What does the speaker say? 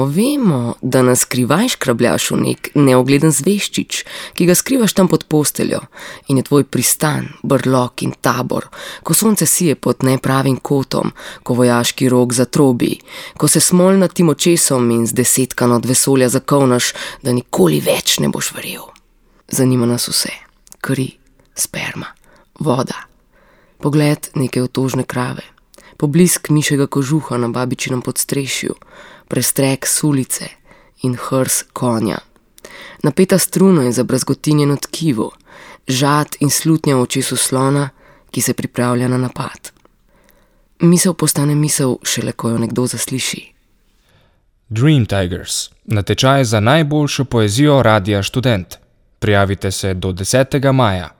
Vemo, da nas skrivaj škrabljaš v nek neogleden zveščič, ki ga skrivaš tam pod posteljo in je tvoj pristan, brlog in tabor, ko sonce sije pod nepravim kotom, ko vojaški rog zatrobi, ko se smolnatim očesom in z desetkano od vesolja zakovnaš, da nikoli več ne boš verjel. Zanima nas vse, kri, sperma, voda, pogled neke otožne krave, poblisk mišjega kožuha na babičinem podstrešju, prestrek sulice in hrs konja. Napeta struna je zabrazgotinjeno tkivo, žad in slutnja v očesu slona, ki se pripravlja na napad. Misel postane misel šele, ko jo nekdo zasliši. Dream Tigers, natečaj za najboljšo poezijo Radia Študent. Prijavite se do 10. maja.